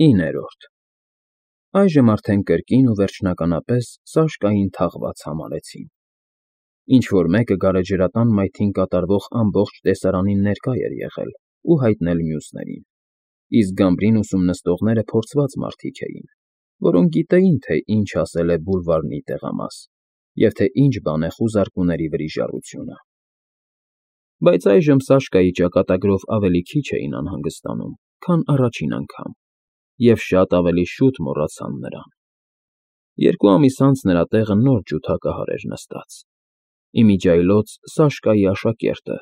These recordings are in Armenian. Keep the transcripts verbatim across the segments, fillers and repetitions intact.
Իններորդ Այժմ արդեն կրկին ու վերջնականապես Սաշկային թաղված համարեցին։ Ինչ֊որ մեկը գարեջրատան մայթին կատարվող ամբողջ տեսարանին ներկա էր եղել ու հայտնել մյուսներին, իսկ գամբրին ուսումնասիրողները փորձված մարդիկ էին, որոնք գիտեին, թե ինչ ասել է բուլվարնի տեղամաս և թե ինչ բան է խուզարկուների վրիժառությունը։ Բայց այժմ Սաշկայի ճակատագրով ավելի քիչ էին անհանգստանում, քան առաջին անգամ, և շատ ավելի շուտ մոռացան նրան։ Երկու ամիս անց նրա տեղը նոր ջութակահար էր նստած՝ իմիջիայլոց Սաշկայի աշակերտը,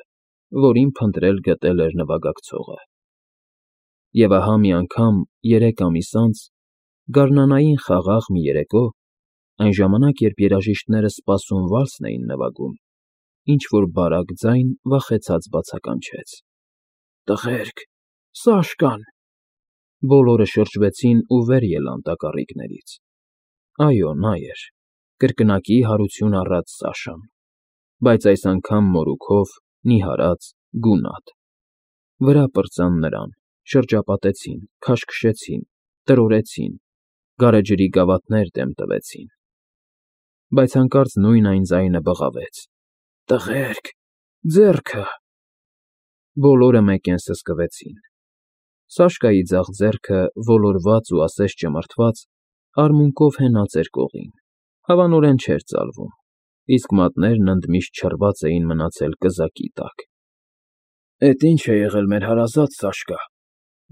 որին փնտրել գտել էր նվագակցողը։ Եվ ահա մի անգամ, երեք ամիս անց, գարնանային խաղաղ մի երեկո, այն ժամանակ, երբ երաժիշտները սպասուն վալսն էին նվագում, ինչ֊որ բարակ ձայն վախեցած բացականչեց. «Տղերք, Սաշկան»։ Բոլորը շրջվեցին ու վեր ելան տակառիկներից։ Այո, նա էր, կրկնակի հարություն առած Սաշան, բայց այս անգամ մորուքով, նիհարած, գունատ։ Վրա պրծան նրան, շրջապատեցին, քաշքշեցին, տրորեցին, գարեջրի գավաթներ դեմ տվեցին։ Բայց հանկարծ նույն այն ձայնը բղավեց. «Տղերք, ձեռքը»։ Բոլորը մեկեն սսկվեցին։ Սաշկայի ձախ ձեռքը, ոլորված ու ասես ճմրթված, արմունկով հենած էր կողին, հավանորեն չէր ծալվում, իսկ մատներն ընդմիշտ չռված էին մնացել կզակի տակ։ «Էդ ի՞նչ է եղել մեր հարազատ Սաշկա»,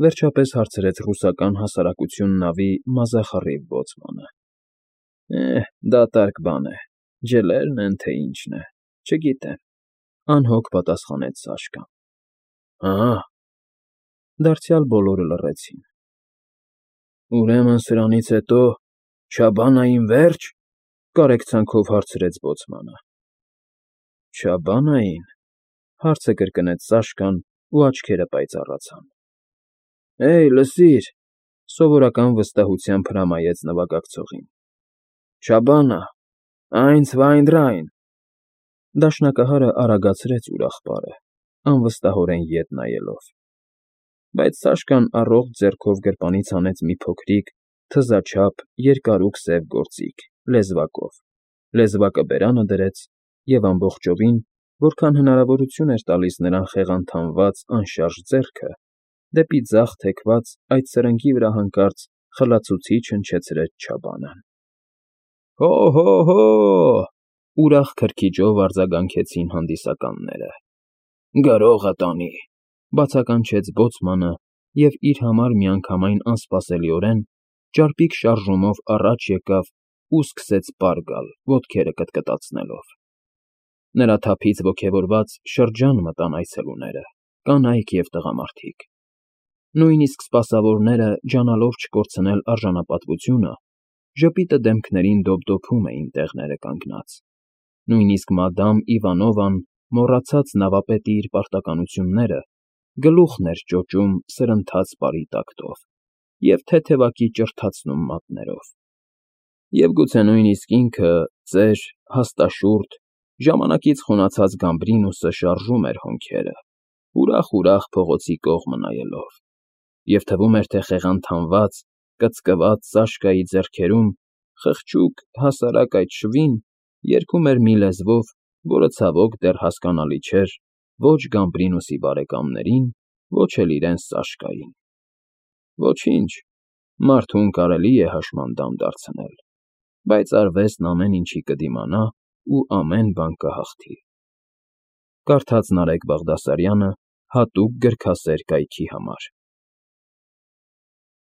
վերջապես հարցրեց ռուսական հասարակություն նավի մազախռիվ բոցմանը։ «Է, դատարկ բան է, ջլերն են, թե ինչն է, չգիտեմ», անհոգ պատասխանեց Սաշկան։ «Ահա»։ Դարձյալ բոլորը լռեցին։ «Ուրեմն սրանից հետո Չաբանային վե՞րջ», կարեկցանքով հարցրեց բոցմանը։ «Չաբանային», հարցը կրկնեց Սաշկան, ու աչքերը պայծառացան։ «Հեյ, լսիր», սովորական վստահությամբ հրամայեց նվագակցողին։ «Չաբանա, այնց վայն դռայն»։ Դաշնակահարը արագացրեց ուրախ պարը, անվստահորեն ետ նայելով։ Բայց Սաշկան առողջ ձեռքով գրպանից հանեց մի փոքրիկ, թզաչափ, երկարուկ սև գործիք, լեզվակով, լեզվակը բերանը դրեց և ամբողջովին, որքան հնարավորություն էր տալիս նրան խեղաթյուրված անշարժ ձեռքը, դեպի ձախ թեքված այդ սրնգի վրա հանկարծ խլացուցիչ հնչեցրեց Չաբանան։ «Հո՛֊հո՛֊հո՛», ուրախ քրքիջով արձագանքեցին հանդիսականները։ «Գրողը տանի», բացականչեց բոցմանը և իր համար միանգամայն անսպասելիորեն ճարպիկ շարժումով առաջ եկավ ու սկսեց պար գալ, ոտքերը կտկտացնելով։ Նրա թափից ոգևորված շրջան մտան այցելուները, կանայք և տղամարդիկ։ Նույնիսկ սպասավորները, ջանալով չկորցնել արժանապատվությունը, ժպիտը դեմքներին դոփդոփում էին տեղները կանգնած։ Նույնիսկ մադամ Իվանովան, մոռացած նավապետի իր պարտականությունները, գլուխն էր ճոճում սրընթաց պարի տակտով և թեթևակի ճրթացնում մատներով։ Եվ գուցե նույնիսկ ինքը, ծեր, հաստաշուրթ, ժամանակից խոնացած Գամբրինուսը շարժում էր հոնքերը, ուրախ֊ուրախ փողոցի կողմը նայելով, և թվում էր, թե խեղաթյուրված, կծկված Սաշկայի ձեռքերում խղճուկ, հասարակ այդ շվին երգում էր մի լեզվով, որը, ցավոք, դեռ հասկանալի չէր ոչ Գամբրինուսի բարեկամներին, ոչ էլ իրեն Սաշկային։ Ոչինչ, մարդուն կարելի է հաշմանդամ դարձնել, բայց արվեստն ամեն ինչի կդիմանա ու ամեն բան կհաղթի։ Կարդաց Նարեկ Բաղդասարյանը հատուկ գրքասեր կայքի համար։